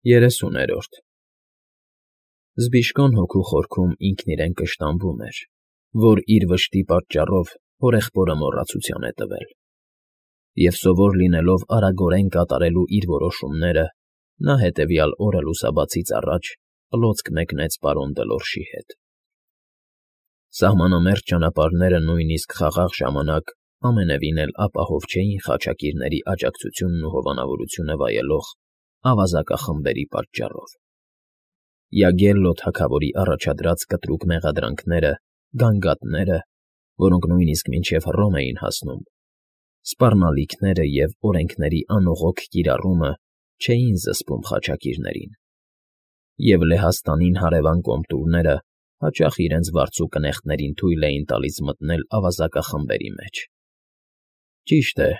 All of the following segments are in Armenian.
30-րդ Զբիշկոն հոգու խորքում ինքն իրեն կշտամբում էր, որ իր վշտի պատճառով հորեղբորը մոռացության է տվել, և սովոր լինելով արագորեն կատարելու իր որոշումները, նա հետևյալ օրը լուսաբացից առաջ պլոցք մեկնեց պարոն Դլորշի հետ։ Սահմանամերձ ճանապարհները նույնիսկ խաղաղ ժամանակ ամենևին էլ ապահով չէին խաչակիրների աջակցությունն ու հովանավորությունը վայելող ավազակախմբերի պատճառով։ Յագելլո թագավորի առաջադրած կտրուկ մեղադրանքները, գանգատները, որոնք նույնիսկ մինչև Հռոմ էին հասնում, սպառնալիքները և օրենքների անողոք կիրառումը չէին զսպում խաչակիրներին, և Լեհաստանին հարևան կոմտուրները հաճախ իրենց վարձու կնեղտներին թույլ էին տալիս մտնել ավազակախմբերի մեջ։ Ճիշտ է,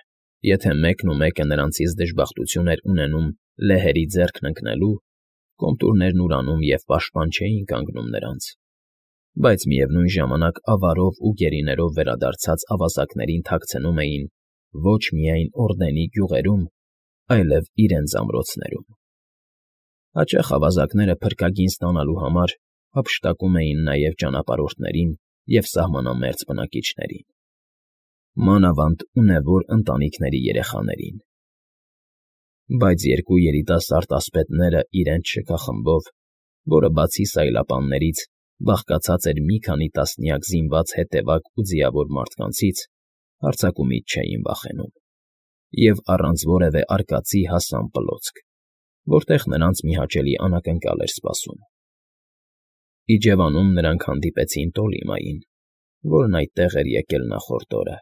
եթե մեկն ու մեկը նրանցից դժբախտություն էր ունենում լեհերի ձեռքն ընկնելու, կոմտուրներն ուրանում և պաշտպան չէին կանգնում նրանց, բայց միևնույն ժամանակ ավարով ու գերիներով վերադարձած ավազակներին թաքցնում էին ոչ միայն Օրդենի գյուղերում, այլև իրենց ամրոցներում։ Հաճախ ավազակները փրկագին ստանալու համար հափշտակում էին նաև ճանապարհորդներին և սահմանամերձ բնակիչներին, մանավանդ ունևոր ընտանիքների երեխաներին։ Բայց երկու երիտասարդ ասպետները իրենց շքախմբով, որը բացի սայլապաններից բաղկացած էր մի քանի տասնյակ զինված հետևակ ու ձիավոր մարդկանցից, հարձակումից չէին վախենում, և առանց որևէ արկածի հասան պլոցք, որտեղ նրանց մի հաճելի անակնկալ էր սպասում։ Իջևանում նրանք հանդիպեցին Տոլիմային, որն այդտեղ էր եկել նախորդ օրը։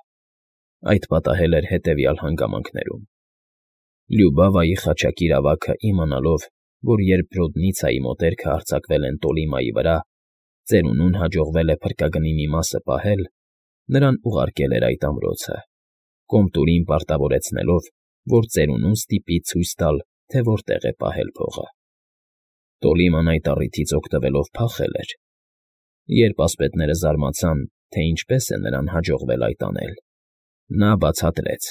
Այդ պատահել էր հետևյալ հանգամանքներում. Լյուբավայի խաչակիր ավագը իմանալով, որ երբ Ռոդնիցայի մոտերքը հարձակվել են Տոլիմայի վրա, ծերունուն հաջողվել է փրկագնի մի մասը պահել, նրան ուղարկել էր այդ ամրոցը, կոմտուրին պարտավորեցնելով, որ ծերունուն ստիպի ցույց տալ, թե որտեղ է պահել փողը։ Տոլիման այդ առիթից օգտվելով փախել էր։ Երբ ասպետները զարմացան, թե ինչպես է նրան հաջողվել այդ անել, նա բացատրեց.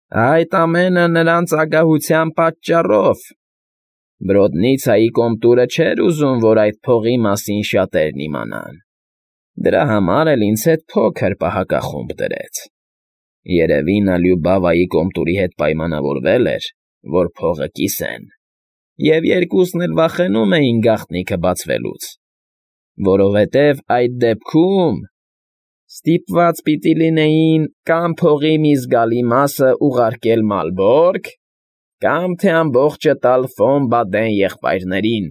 «Այդ ամենը նրանց ագահության պատճառով։ Բրոդնիցայի կոմտուրը չէր ուզում, որ այդ փողի մասին շատերն իմանան։ Դրա համար էլ ինձ հետ փոքր պահակախումբ դրեց։ Երևի նա Լյուբավայի կոմտուրի հետ պայմանավորվել էր, որ փողը կիսեն, և երկուսն էլ վախենում էին գաղտնիքը բացվելուց, որովհետև այդ դեպքում ստիպված պիտի լինեին կամ փողի մի զգալի մասը ուղարկել Մալբորգ, կամ թե ամբողջը տալ Ֆոն Բադեն եղբայրներին։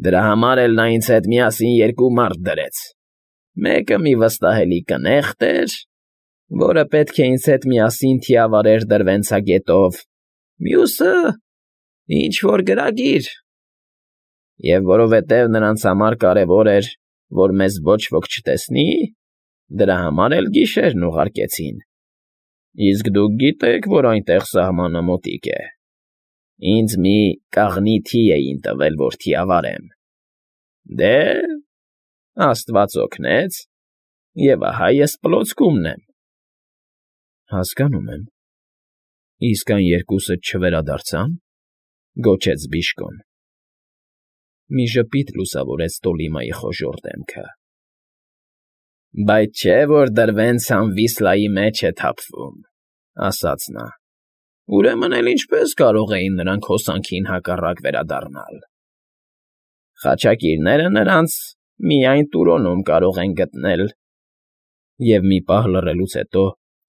Դրա համար էլ նա ինձ հետ միասին երկու մարդ դրեց. մեկը մի վստահելի կնեղտ էր, որը պետք է ինձ հետ միասին թիավարեր դրվենցագետով, մյուսը ինչ֊որ գրագիր։ Եվ որովհետև նրանց համար կարևոր էր, որ մեզ ոչ ոք չտեսնի, դրա համար էլ գիշերն ուղարկեցին։ Իսկ դուք գիտեք, որ այնտեղ սահմանը մոտիկ է։ Ինձ մի կաղնի թի էին տվել, որ թիավարեմ։ Դե, Աստված օգնեց, և ահա ես պլոցկումն եմ»։ Հասկանում եմ։ Իսկ այն երկուսը չվերադարձա՞ն,֊ գոչեց Բիշկոն։ Մի ժպիտ լուսավորեց Տոլիմայի խոժոռ դեմքը։ «Բայց չէ՞ որ Դրվենցան Վիսլայի մեջ է թափվում», ասաց նա։ «Ուրեմն էլ ինչպե՞ս կարող էին նրանք հոսանքին հակառակ վերադառնալ։ Խաչակիրները նրանց միայն Տուրոնում կարող են գտնել»։ Եվ մի պահ լռելուց հետո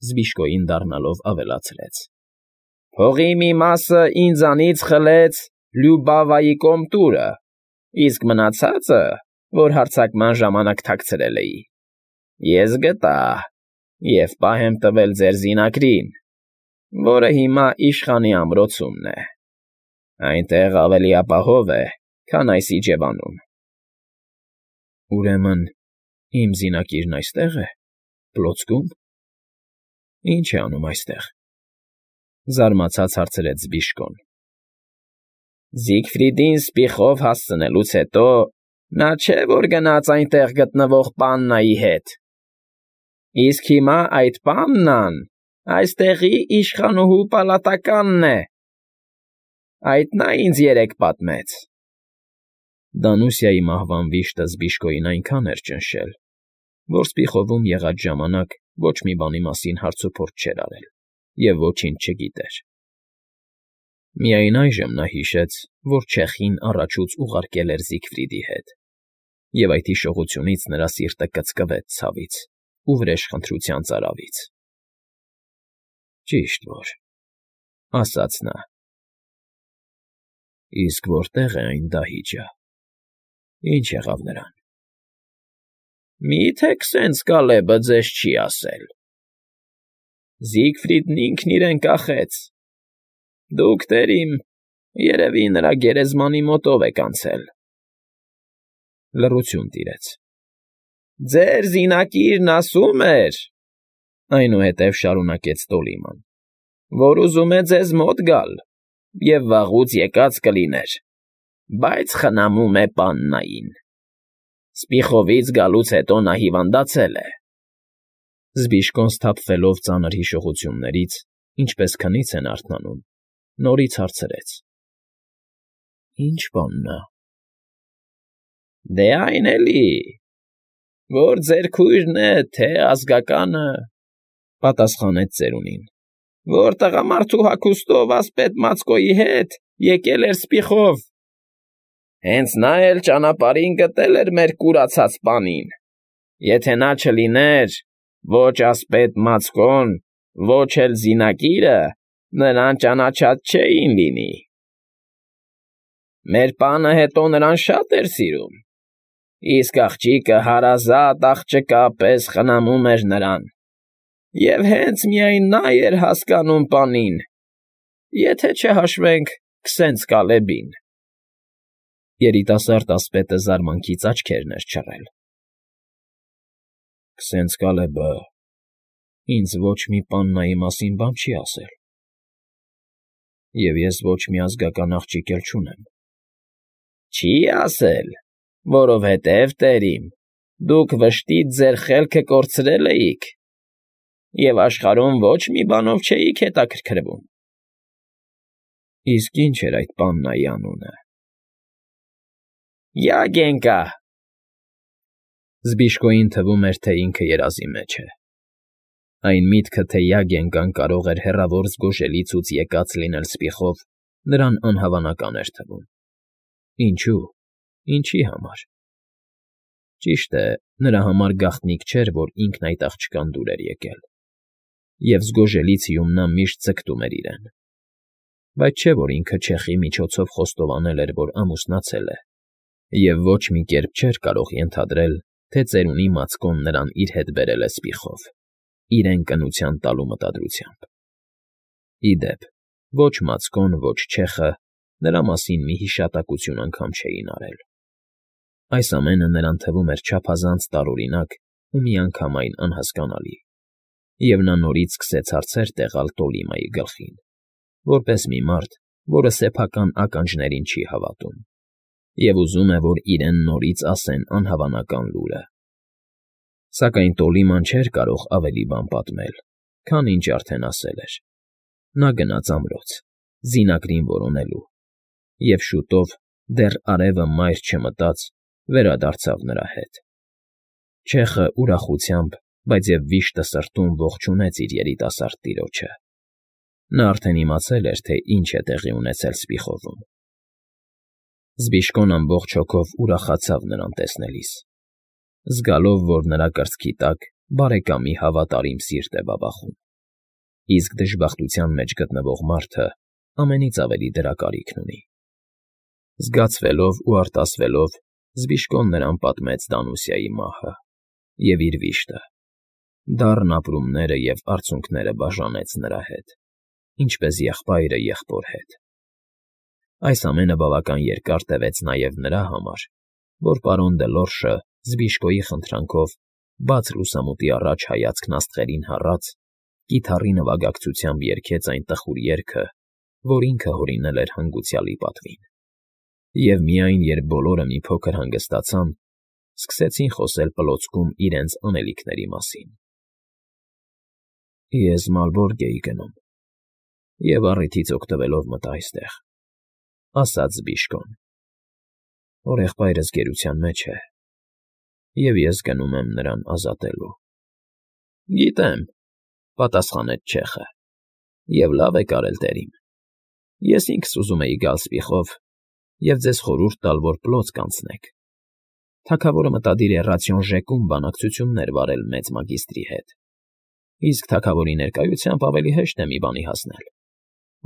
Զբիշկոյին դառնալով ավելացրեց. «Փողի մի մասը ինձանից խլեց Լյուբավայի կոմտուրը, իսկ մնացածը, որ հարձակման ժամանակ թաքցրել էի, ես գտա և պահ եմ տվել ձեր զինակրին, որը հիմա իշխանի ամրոցումն է։ Այնտեղ ավելի ապահով է, քան այս իջևանում»։ «Ուրեմն իմ զինակիրն այստե՞ղ է, պլոցքում։ Ի՞նչ է անում այստեղ,֊ զարմացած հարցրեց Զբիշկոն։ «Զիգֆրիդին սպիխով հասցնելուց հետո նա չէ՞ որ գնաց այնտեղ գտնվող պաննայի հետ։ Իսկ հիմա այդ պաննան այստեղի իշխանուհու պալատականն է։ Այդ նա ինձ երեք պատմեց։ Դանուսիայի մահվան վիշտը Զբիշկոյին այնքան էր ճնշել, որ Սպիխովում եղած ժամանակ ոչ մի բանի մասին հարցուփորձ չէր արել և ոչինչ չգիտեր։ Միայն այժմ նա հիշեց, որ չեխին առաջուց ուղարկել էր Զիգֆրիդի հետ, և այդ հիշողությունից նրա սիրտը կծկվեց ցավից ու վրեժխնդրության ծարավից։ «Ճիշտ որ,֊ ասաց նա,֊ իսկ որտե՞ղ է այն դահիճը, ինչ եղավ նրան»։ Մի՞թե քսենց Կալեբը ձեզ չի ասել։ Զիգֆրիդն ինքն իրեն կախեց։ Դուք, տերիմ, երևի նրա գերեզմանի մոտով եք անցել։ Լռություն տիրեց։ Ձեր զինակիրն ասում էր, այնուհետև շարունակեց Տոլիման, որ ուզում է ձեզ մոտ գալ և վաղուց եկած կլիներ, բայց խնամում է պաննային։ Սպիխովից գալուց հետո նա հիվանդացել է։ Զբիշկոն սթափվելով ծանր հիշողություններից, ինչպես քնից են արթնանում, նորից հարցրեց. «Ի՞նչ բանն է»։ Դե այն էլի, որ ձեր քույրն է, թե ազգականը, պատասխանեց ծերունին, որ տղամարդու հագուստով ասպետ Մացկոյի հետ եկել էր Սպիխով։ Հենց նա էլ ճանապարհին գտել էր մեր կուրացած պանին։ Եթե նա չլիներ, ոչ ասպետ Մացկոն, ոչ էլ զինակիրը նրան ճանաչած չէին լինի։ Մեր պանը հետո նրան շատ էր սիրում, իսկ աղջիկը հարազատ աղջկա պես խնամում էր նրան, և հենց միայն նա էր հասկանում պանին, եթե չհաշվենք քսենց Կալեբին։ Երիտասարդ ասպետը զարմանքից աչքերն էր չռել։ Քսենց Կալեբը ինձ ոչ մի պաննայի մասին բան չի ասել, և ես ոչ մի ազգական աղջիկ էլ չունեմ։ Չի ասել, որովհետև, տերիմ, դուք վշտից ձեր խելքը կորցրել էիք և աշխարհում ոչ մի բանով չէիք հետաքրքրվում։ Իսկ ի՞նչ էր այդ պաննայի անունը։ Յագենկա։ Զբիշկոյին թվում էր, թե ինքը երազի մեջ է։ Այն միտքը, թե Յագենկան կարող էր հեռավոր զգոժելիցուց եկած լինել Սպիխով, նրան անհավանական էր թվում։ Ինչու՞, ինչի համար։ Ճիշտ է, նրա համար գաղտնիք չէր, որ ինքն այդ աղջկան դուր էր եկել, և զգոժելիցիում նա միշտ ձգտում էր իրեն։ Բայց չէ՞ որ ինքը չեխի միջոցով խոստովանել էր, որ ամուսնացել է, և ոչ մի կերպ չէր կարող ենթադրել, թե ծերունի Մացկոն նրան իր հետ բերել է Սպիխով, իրեն կնության տալու մտադրությամբ։ Ի դեպ, ոչ Մացկոն, ոչ չեխը նրա մասին մի հիշատակություն անգամ չէին արել։ Այս ամենը նրան թվում էր չափազանց տարօրինակ ու միանգամայն անհասկանալի, և նա նորից սկսեց հարցեր տեղալ Տոլիմայի գլխին, որպես մի մարդ, որը սեփական ականջներին չի հավատում, և ուզում է, որ իրեն նորից ասեն անհավանական լուրը։ Սակայն Տոլիման չէր կարող ավելի բան պատմել, քան ինչ արդեն ասել էր։ Նա գնաց ամրոց, զինակրին որոնելու, և շուտով, դեռ արևը մայր չմտած, վերադարձավ նրա հետ։ Չեխը ուրախությամբ, բայց և վիշտը սրտում ողջունեց իր երիտասարդ տիրոջը։ Նա արդեն իմացել էր, թե ինչ է տեղի ունեցել Սպիխովում։ Զբիշկոն ամբողջ հոգով ուրախացավ նրան տեսնելիս, զգալով, որ նրա կրծքի տակ բարեկամի հավատարիմ սիրտ է բաբախում, իսկ դժբախտության մեջ գտնվող մարդը ամենից ավելի դրա կարիքն ունի։ Զգացվելով ու արտասվելով՝ Զբիշկոն նրան պատմեց Դանուսիայի մահը և իր վիշտը, դառն ապրումները և արցունքները բաժանեց նրա հետ, ինչպես եղբայրը եղբոր հետ։ Այս ամենը բավական երկար տևեց նաև նրա համար, որ պարոն Դելորշը Զբիշկոյի խնդրանքով, բաց լուսամուտի առաջ հայացքն աստղերին հառած, կիթառի նվագակցությամբ երգեց այն տխուր երգը, որ ինքը հորինել էր հանգուցյալի պատվին։ Եվ միայն երբ բոլորը մի փոքր հանգստացան, սկսեցին խոսել պլոցքում իրենց անելիքների մասին։ Ես Մալբորգ էի գնում և առիթից օգտվելով մտա այստեղ, ասաց Բիշկոն։ Հորեղբայրս գերության մեջ է, և ես գնում եմ նրան ազատելու։ Գիտեմ, պատասխանեց չեխը, և լավ եք արել, տերիմ։ Ես ինքս ուզում էի գալ սպիխով և ձեզ խորհուրդ տալ, որ պլոց կանցնեք։ Թագավորը մտադիր է ռացիոն ժեկում բանակցություններ վարել մեծ մագիստրի հետ, իսկ թագավորի ներկայությամբ ավելի հեշտ է մի բանի հասնել,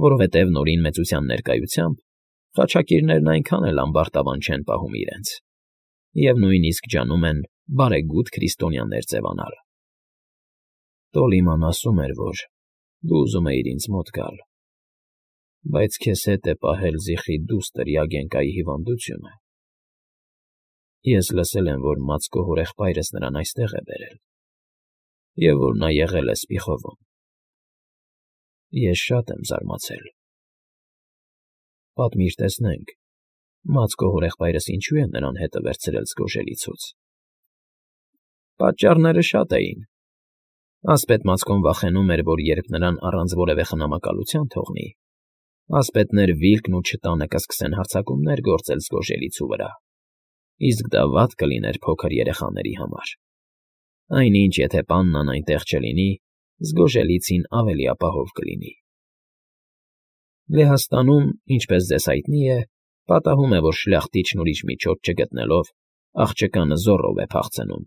որովհետև նորին մեծության ներկայությամբ խաչակիրներն այնքան էլ ամբարտավան չեն պահում իրենց, և նույնիսկ ջանում են բարեգութ քրիստոնյաներ ձևանալ։ Տոլիման ասում էր, որ դու ուզում էիր ինձ մոտ գալ, բայց քեզ հետ է պահել զիխի դուստր Յագենկայի հիվանդությունը։ Ես լսել եմ, որ Մացկո հորեղբայրս նրան այստեղ է բերել, և որ նա եղել է Սպիխովում։ Ես շատ եմ զարմացել։ Պատմիր տեսնենք, Մացկո հորեղբայրս ինչու է նրան հետը վերցրել զգոժելիցուց։ Պատճառները շատ էին։ Ասպետ Մացկոն վախենում էր, որ երբ նրան առանց որևէ խնամակալության թողնի, ասպետներ Վիլկն ու Չտանը կսկսեն հարձակումներ գործել զգոժելիցու վրա, իսկ դա վատ կլիներ փոքր երեխաների համար։ Այնինչ, եթե պաննան այնտեղ չլինի, զգոժելիցին ավելի ապահով կլինի։ Լեհաստանում, ինչպես ձեզ հայտնի է, պատահում է, որ շլախտիչն ուրիշ միջոց չգտնելով, աղջկանը զոռով է փախցնում,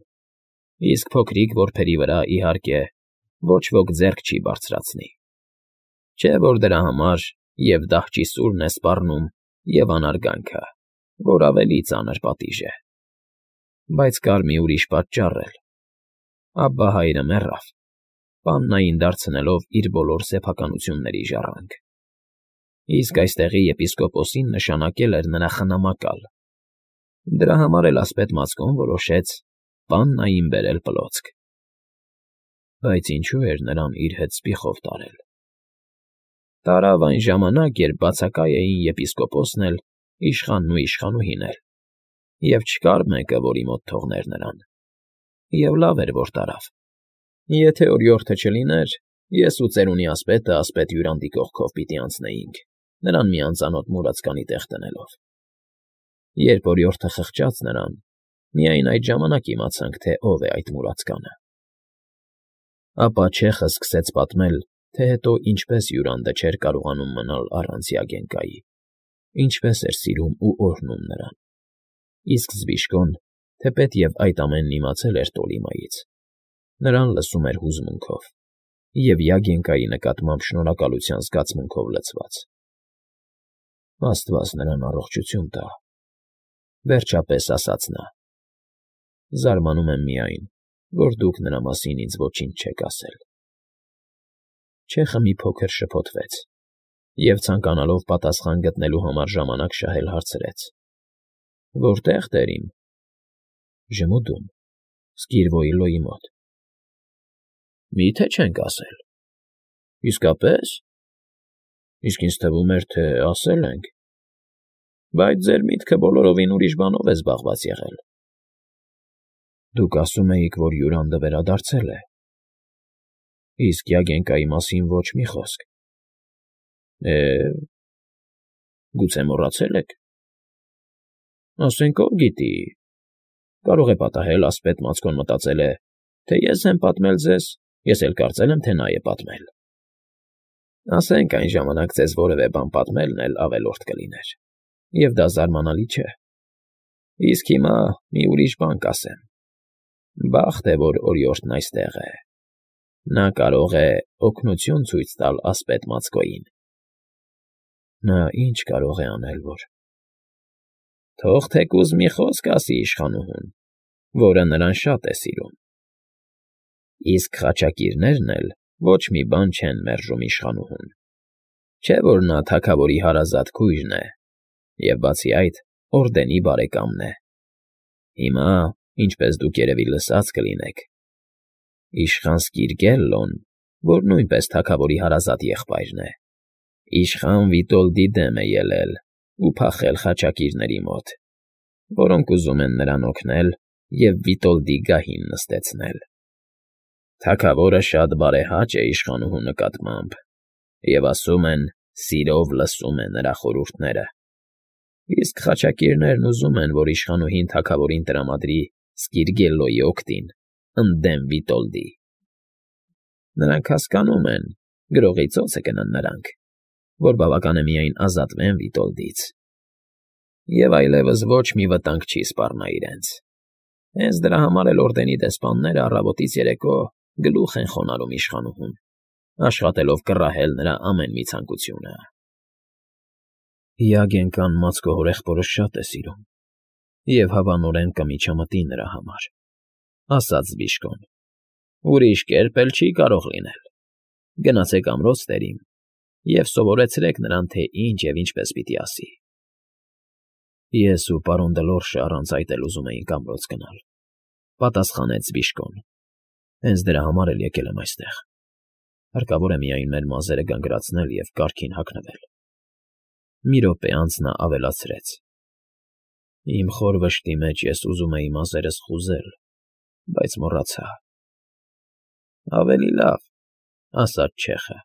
իսկ փոքրիկ որբերի վրա, իհարկե, ոչ ոք ձեռք չի բարձրացնի։ Չէ՞ որ դրա համար և դահճի սուրն է սպառնում, և անարգանքը, որ ավելի ծանր պատիժ է։ Բայց կար մի ուրիշ պատճառ էլ։ Աբբա հայրը մեռավ, պաննային դարձնելով իր բոլոր սեփականությունների ժառանգ, իսկ այստեղի եպիսկոպոսին նշանակել էր նրա խնամակալ։ Դրա համար էլ ասպետ Մացկոն որոշեց պաննային բերել պլոցք։ Բայց ինչու էր նրան իր հետ սպիխով տարել։ Տարավ այն ժամանակ, երբ բացակայ էին եպիսկոպոսն էլ, իշխանն ու իշխանուհին էլ, և չկար մեկը, որի մոտ թողներ նրան։ Եվ լավ էր, որ տարավ։ Եթե օրիորդը չլիներ, ես ու ծերունի ասպետը ասպետ Յուրանդի կողքով պիտի անցնեինք, նրան մի անծանոթ մուրացկանի տեղ տնելով։ Երբ օրիորդը խղճաց նրան, միայն այդ ժամանակ իմացանք, թե ով է այդ մուրացկանը։ Ապա չեխը սկսեց պատմել, թե հետո ինչպես Յուրանդը չէր կարողանում մնալ առանց Յագենկայի, ինչպես էր սիրում ու օրհնում նրան։ Իսկ Զբիշկոն, թեպետև այդ ամենն իմացել էր Տոլիմայից, նրան լսում էր հուզմունքով և Յագենկայի նկատմամբ շնորհակալության զգացմունքով լցված։ Աստված նրան առողջություն տա, վերջապես ասաց նա։ Զարմանում եմ միայն, որ դուք նրա մասին ինձ ոչինչ չեք ասել։ Չեխը մի փոքր շփոթվեց և, ցանկանալով պատասխան գտնելու համար ժամանակ շահել, հարցրեց. Որտե՞ղ, տերիմ։ Ժմուդում, Սկիրվոյլոյի մոտ։ Մի՞թե չենք ասել։ Իսկապես։ Իսկ ինձ թվում էր, թե ասել ենք։ Բայց ձեր միտքը բոլորովին ուրիշ բանով է զբաղված եղել։ Դուք ասում էիք, որ Յուրանդը վերադարձել է։ Իսկ Յագենկայի մասին ոչ մի խոսք։ Գուցե մոռացել եք։ Ասենք ով գիտի, կարող է պատահել ասպետ Մացկոն մտածել է, թե ես եմ պատմել ձեզ, ես էլ կարծել եմ, թե նա է պատմել։ Ասենք այն ժամանակ ձեզ որևէ բան պատմելն էլ ավելորդ կլիներ, և դա զարմանալի չէ։ Իսկ հիմա մի ուրիշ բան կասեմ։ Բախտ է, որ օրիորդն այստեղ է։ Նա կարող է օգնություն ցույց տալ ասպետ Մացկոյին։ Նա ինչ կարող է անել, որ… Թող թեկուզ մի խոսք ասի իշխանուհուն, որը նրան շատ է սիրում։ Իսկ խաչակիրներն էլ ոչ մի բան չեն մերժում իշխանուհուն։ Չէ՞ որ նա թագավորի հարազատ քույրն է, և բացի այդ, օրդենի բարեկամն է։ Հիմա, ինչպես դուք երևի լսած կլինեք, իշխան Սկիրգելլոն, որ նույնպես թագավորի հարազատ եղբայրն է, իշխան Վիտոլդի դեմ է ելել ու փախել խաչակիրների մոտ, որոնք ուզում են նրան օգնել և Վիտոլդի գահին նստեցնել։ Թագավորը շատ բարեհաճ է իշխանուհու նկատմամբ, և ասում են, սիրով լսում է նրա խորհուրդները։ Իսկ խաչակիրներն ուզում են, որ իշխանուհին թագավորին տրամադրի Սկիրգելլոյի օգտին, ընդդեմ Վիտոլդի։ Նրանք հասկանում են, գրողի ծոցը կնան նրանք, որ բավական է միայն ազատվեն Վիտոլդից, և այլևս ոչ մի վտանգ չի սպառնա իրենց։ Հենց դրա համար էլ օրդենի դեսպանները առավոտից երեկո գլուխ են խոնարհում իշխանուհուն, աշխատելով կռահել նրա ամեն մի ցանկությունը։ Յագենկան մաձկո հորեղբորը շատ է սիրում, և հավանորեն կմիջամտի նրա համար, ասաց Բիժկոն։ Ուրիշ կերպ էլ չի կարող լինել։ Գնացեք ամրոց տերին և սովորեցրեք նրան, թե ինչ և ինչպես պիտի ասի։ Ես ու պարոն Դլորշը առանց այդ էլ ուզում էինք ամրոց գնալ, պատասխանեց Բիժկոն։ Հենց դրա համար էլ եկել եմ այստեղ։ Հարկավոր է միայն մեր մազերը գանգրացնել և կարգին հագնվել։ Մի րոպե անց նա ավելացրեց. Իմ խոր վշտի մեջ ես ուզում էի մազերս խուզել, բայց մոռացա։ Ավելի լավ, ասաց չեխը։